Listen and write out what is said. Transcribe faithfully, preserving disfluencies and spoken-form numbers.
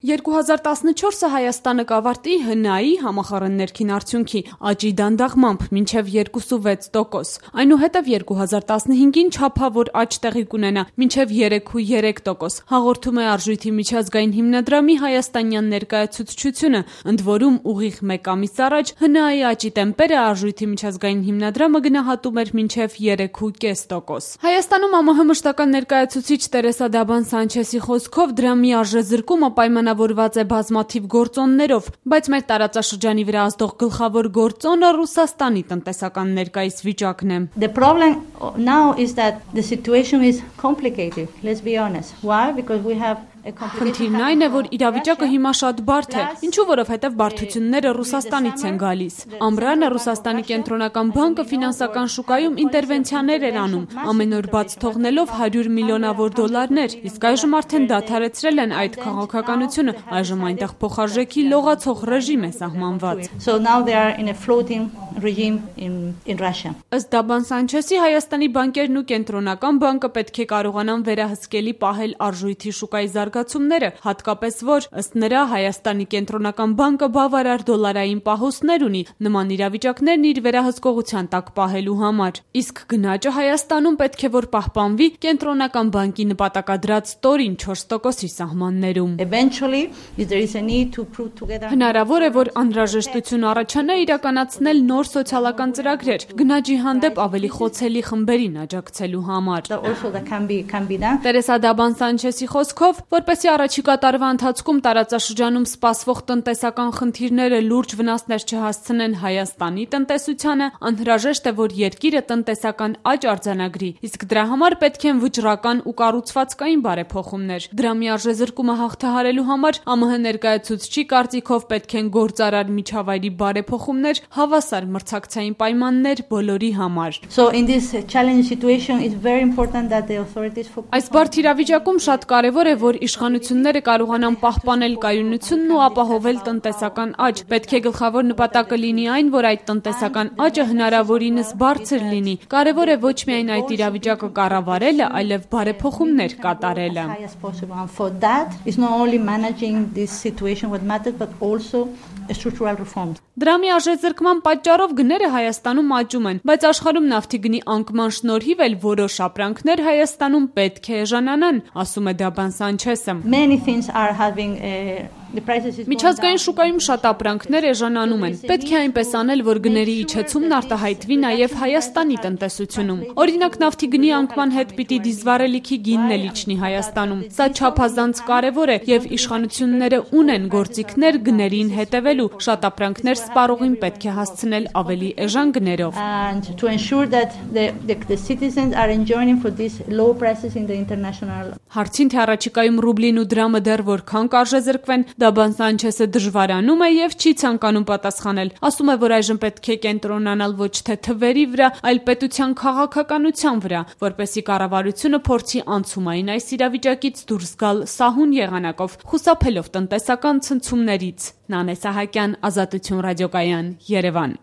երկու հազար տասնչորսը Հայաստանը կավարտի Հ Ն A-ի համախառն ներքին արդյունքի աճի դանդաղմամբ մինչև երկուսուվեց տոկոս, այնուհետև երկու հազար տասնհինգին չափավոր աճ տեղի կունենա մինչև երեքուերեք տոկոս, հաղորդում է Արժույթի միջազգային հիմնադրամի հայաստանյան ներկայացուցչությունը, ընդ որում ուղիղ մեկ ամիս առաջ Հ Ն A-ի աճի տեմպերը Արժույթի միջազգային հիմնադրամը գնահատում էր մինչև երեքուկես տոկոս։ Հայաստանում Ա ՄՀ մշտական ներկայացուցիչ Տերեսա Դաբան Սանչեսի խոսքով դրա մի արժեզրկումը պայմանավորված է բազմաթիվ գործոններով, բայց մեր տարածաշրջանի վրա ազդող գլխավոր գործոնը Ռուսաստանի տնտեսական ներկայիս վիճակն է։ The problem now is that the situation is complicated, let's be honest. Why? Because we have Խնդիրն այն է, որ իրավիճակը հիմա շատ բարդ է, ինչու որովհետև բարդությունները Ռուսաստանից են գալիս։ Ամռանը Ռուսաստանի կենտրոնական բանկը ֆինանսական շուկայում ինտերվենցիաներ էր անում, ամեն օր բաց թողնելով հարյուր միլիոնավոր դոլարներ, իսկ այժմ արդեն դադարեցրել են այդ քաղաքականությունը, այժմ այնտեղ փոխարժեքի լողացող ռեժիմ է սահմանված։ So now they are in a floating regime in in Russia. Ըստ Դաբան Սանչեսի, Հայաստանի բանկերն ու կենտրոնական բանկը պետք է կարողանան վերահսկելի պահել արժույթի շուկայի զարգացումները, հատկապես որ ըստ նրա Հայաստանի կենտրոնական բանկը բավարար դոլարային պահոստներ ունի նման իրավիճակներն իր վերահսկողության տակ պահելու համար։ Իսկ գնաճը Հայաստանում պետք է որ պահպանվի կենտրոնական բանկի նպատակադրած ստորին չորս տոկոսի սահմաններում։ Eventually, if there is a need to put together Հնարավոր է, որ անհրաժեշտություն առաջանա իրականացնել նոր սոցիալական ծրագրեր, գնաճի հանդեպ ավելի խոցելի խմբերին աջակցելու համար։ also that can be can be done. Տերեսա Դաբան Սանչեսի խոսքով, որպեսզի առաջիկա տարվա ընթացքում տարածաշրջանում սպասվող տնտեսական խնդիրները լուրջ վնասներ չհասցնեն Հայաստանի տնտեսությանը, անհրաժեշտ է, որ երկիրը տնտեսական աճ արձանագրի, իսկ դրա համար պետք են վճռական ու կառուցվածքային բարեփոխումներ։ Դրա մի արժեզրկումը հաղթահարելու համար Ա ՄՀ ներկայացուցչի կարծիքով պետք են գործարար միջավայրի բարեփոխումներ, հավասար մրցակցային պայմաններ բոլորի համար։ So in this challenging situation it's very important that the authorities focus. Այս բարդ իրավիճակում շատ կարևոր է, որ իշխանությունները կարողանան պահպանել կայունությունն ու ապահովել տնտեսական աճ։ Պետք է գլխավոր նպատակը լինի այն, որ այդ տնտեսական աճը հնարավորինս բարձր լինի։ Կարևոր է ոչ միայն այդ իրավիճակը կառավարելը, այլև բարեփոխումներ կատարելը։ For that is not only managing this situation what matters but also structural reforms. Դրա մի արժեզրկման պատճառով գները Հայաստանում աճում են, բայց աշխարհում նավթի գնի անկման շնորհիվ էլ որոշ ապրանքներ Հայաստանում պետք է էժանանան, ասում է Դաբան Սանչեսը։ Many things are having a The prices is Միջազգային շուկայում շատ ապրանքներ էժանանում են։ Պետք է այնպես անել, որ գների իջեցումն արտահայտվի նաև Հայաստանի տնտեսությունում։ Օրինակ նավթի գնի անկման հետ պիտի դիզվառելիքի գինն էլ իջնի Հայաստանում։ Սա չափազանց կարևոր է եւ իշխանությունները ունեն գործիքներ գներին հետևելու։ Շատ ապրանքներ սպառողին պետք է հասցնել ավելի էժան գներով։ And to ensure that the, the the citizens are enjoying for these low prices in the international. Հարցին թե առաջիկայում ռուբլին ու դրամը դեռ որքան կարժեզրկվեն, Դաբան Սանչեսը դժվարանում է եւ չի ցանկանում պատասխանել։ Ասում է, որ այժմ պետք է կենտրոնանալ ոչ թե թվերի վրա, այլ պետության քաղաքականության վրա, որպեսզի կառավարությունը փորձի անցումային այս իրավիճակից դուրս գալ սահուն եղանակով, խուսափելով տնտեսական ցնցումներից։ Նանե Սահակյան, Ազատություն ռադիոկայան, Երևան։